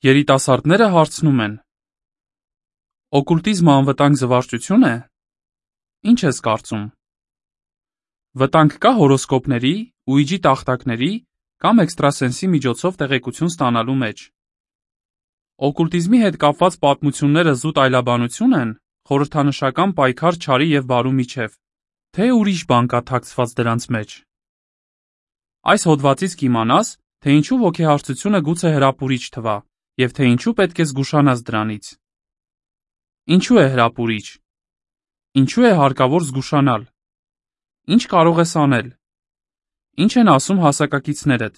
Երիտասարդները հարցնում են. օկուլտիզմը անվտանգ զվարճություն է։ Ինչ ես կարծում։ Վտանգ կա հորոսկոպների, ուիջի տախտակների կամ էքստրասենսի միջոցով տեղեկություն ստանալու մեջ։ Օկուլտիզմի հետ կապված պատմությունները զուտ այլաբանություն են, խորհրդանշական պայքար չարի և բարու միջև, թե ուրիշ բան կա թաքցված դրանց մեջ։ Այս հոդվածից կիմանաս, թե ինչու ոգեհարցությունը գուցե հրապուրիչ թվա, և թե ինչու պետք է զգուշանաս դրանից։ Ինչու է հրապուրիչ։ Ինչու է հարկավոր զգուշանալ։ Ինչ կարող ես անել։ Ինչ են ասում հասակակիցներդ։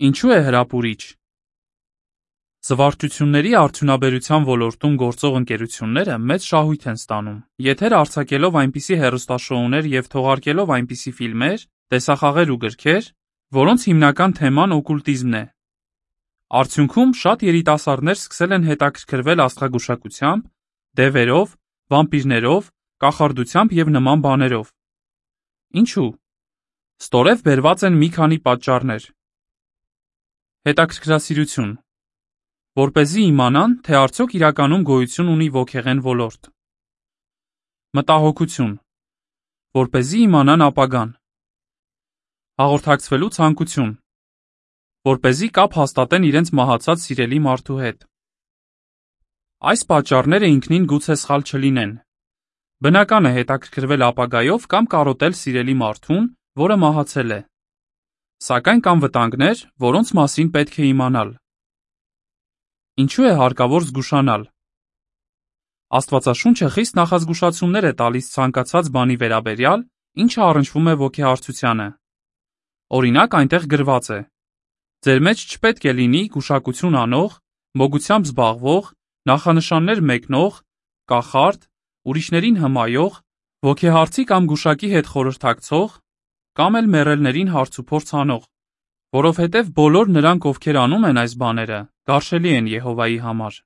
Ինչու է հրապուրիչ։ Զվարճությունների արդյունաբերության ոլորտում գործող ընկերությունները մեծ շահույթ են ստանում, եթեր արձակելով այնպիսի հեռուստաշոուներ և թողարկելով այնպիսի ֆիլմեր, տեսախաղեր ու գրքեր, որոնց հիմնական թեման օկուլտիզմն է։ Արդյունքում շատ երիտասարդներ սկսել են հետաքրքրվել աստղագուշակությամբ, դևերով, վամպիրներով, կախարդությամբ և նման բաներով։ Ինչու։ Ստորև բերված են մի քանի պատճառներ։ Հետաքրքրասիրություն։ Որպեսզի իմանան, թե արդյոք իրականում գոյություն ունի ոգեղեն ոլորտ։ Մտահոգություն։ Որպեսզի իմանան ապագան։ Հաղորդակցվելու ցանկություն։ Որպեսզի կապ հաստատեն իրենց մահացած սիրելի մարդու հետ։ Այս պատճառները ինքնին գուցե սխալ չլինեն։ Բնական է հետաքրքրվել ապագայով կամ կարոտել սիրելի մարդուն, որը մահացել է։ Սակայն կան վտանգներ, որոնց մասին պետք է իմանալ։ Ինչու է հարկավոր զգուշանալ։ Աստվածաշունչը խիստ նախազգուշացումներ է տալիս ցանկացած բանի վերաբերյալ, ինչը առնչվում է ոգեհարցությանը։ Օրինակ, այնտեղ գրված է. ձեր մեջ չպետք է լինի գուշակություն անող, մոգությամբ զբաղվող, նախանշաններ մեկնող, կախարդ, ուրիշներին հմայող, ոգեհարցի կամ գուշակի հետ խորհրդակցող, կամ էլ մեռելներին հարցուփորձ անող, որովհետև բոլոր նրանք, ովքեր անում են այս բաները, գարշելի են Եհովայի համար։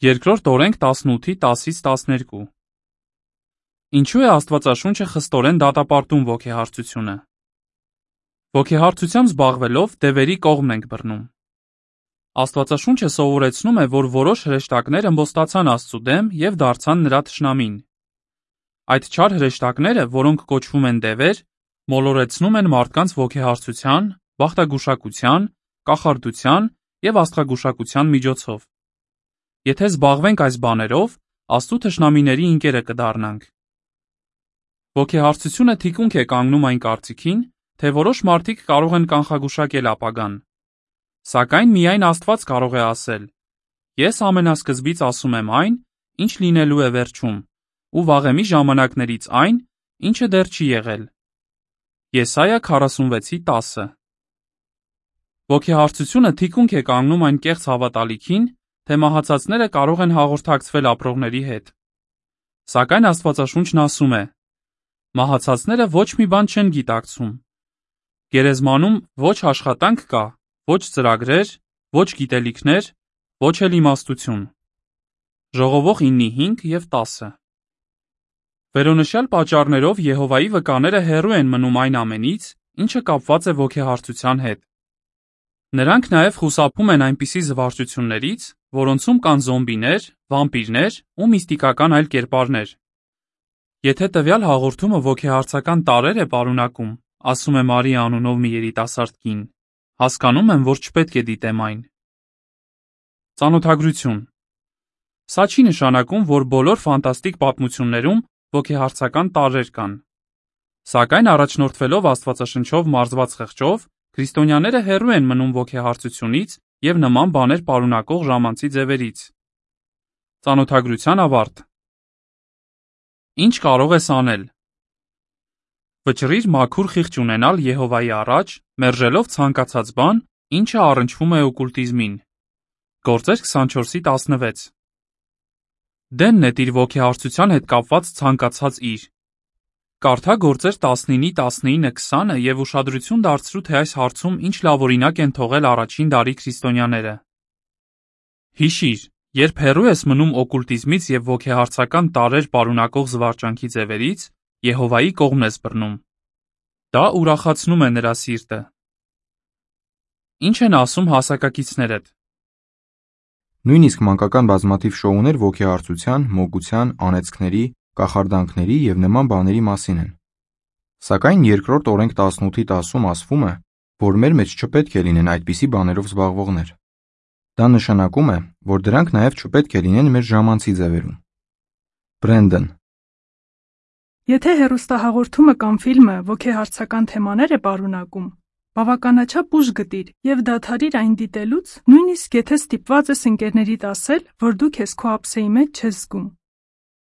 Երկրորդ օրենք 18:10-12։ Ինչու է Աստվածաշունչը խստորեն դատապարտում ոգեհարցությունը։ Ոգեհարցությամբ զբաղվելով դևերի կողմն ենք բռնում։ Աստվածաշունչը սովորեցնում է, որ որոշ հրեշտակներ ըմբոստացան Աստծու դեմ և դարձան նրա թշնամին։ Այդ չար հրեշտակները, որոնք կոչվում են դևեր, մոլորեցնում են մարդկանց ոգեհարցության, բախտագուշակության, կախարդության և աստղագուշակության միջոցով։ Եթե զբաղվենք այս բաներով, Աստծու թշնամիների ընկերը կդառնանք։ Ոգեհարցությունը թիկունք է կանգնում այն կարծիքին, թե որոշ մարդիկ կարող են կանխագուշակել ապագան։ Սակայն միայն Աստված կարող է ասել. «Ես ամենասկզբից ասում եմ այն, ինչ լինելու է վերջում, ու վաղեմի ժամանակներից այն, ինչը դեռ չի եղել»։ Եսայիա 46:10։ Ոգեհարցությունը թիկունք է կանգնում այն կեղծ հավատալիքին, թե մահացածները կարող են հաղորդակցվել ապրողների հետ։ Սակայն Աստվածաշունչն ասում է. մահացածները ոչ մի բան չեն գիտակցում։ Գերեզմանում ոչ աշխատանք կա, ոչ ծրագրեր, ոչ գիտելիքներ, ոչ էլ իմաստություն։ Ժողովող 9:5 և 10։ Վերոնշյալ պատճառներով Եհովայի վկաները հեռու են մնում այն ամենից, ինչը կապված է ոգեհարցության հետ։ Նրանք նաև խուսափում են այնպիսի զվարճություններից, որոնցում կան զոմբիներ, վամպիրներ ու միստիկական այլ կերպարներ։ Եթե տվյալ հաղորդումը ոգեհարցական տարրեր է պարունակում, ասում է Մարիա անունով մի երիտասարդ կին, հասկանում եմ, որ չպետք է դիտեմ այն։ Ծանոթագրություն։ Սա չի նշանակում, որ բոլոր ֆանտաստիկ պատմություններում ոգեհարցական տարրեր կան։ Սակայն առաջնորդվելով Աստվածաշնչով մարզված խղճով, քրիստոնյաները հեռու են մնում ոգեհարցությունից և նման բաներ պարունակող ժամանցի ձևերից։ Ծանոթագրության ավարտ։ Ինչ կարող ես անել։ Վճռիր մաքուր խիղճ ունենալ Եհովայի առաջ, մերժելով ցանկացած բան, ինչը առնչվում է օկուլտիզմին։ Գործեր 24:16։ Դեն նետիր ոգեհարցության հետ կապված ցանկացած իր։ Կարդա Գործեր 19:19-20 և ուշադրություն դարձրու, թե այս հարցում ինչ լավ օրինակ են թողել առաջին դարի քրիստոնյաները։ Հիշիր, երբ հեռու ես մնում օկուլտիզմից և ոգեհարցական տարրեր պարունակող զվարճանքի ձևերից, Եհովայի կողմն ես բռնում։ Դա ուրախացնում է նրա սիրտը։ Ինչ են ասում հասակակիցներդ։ Նույնիսկ մանկական բազմաթիվ շոուներ ոգեհարցության, մոգության, անեծքների, կախարդանքների և նման բաների մասին են։ Սակայն երկրորդ օրենք 18-ի 10-ում ասվում է, որ մեր մեջ չպետք է լինեն այդպիսի բաներով զբաղվողներ։ Դա նշանակում է, որ դրանք նաև չպետք է լինեն մեր ժամանցի ձևերում։ Բրենդոն. Եթե հեռուստահաղորդումը կամ ֆիլմը ոգեհարցական թեմաներ է պարունակում, բավականաչափ ուշ գտիր և դադարիր այն դիտելուց, նույնիսկ եթե ստիպված ես ընկերներիդ ասել, որ դու քեզ քո ափսեի մեջ չես զգում։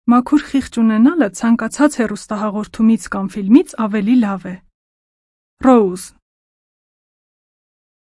Մաքուր խիղճ ունենալը ցանկացած հեռուստահաղորդումից կամ ֆիլմից ավելի լավ է։ Ռոուզ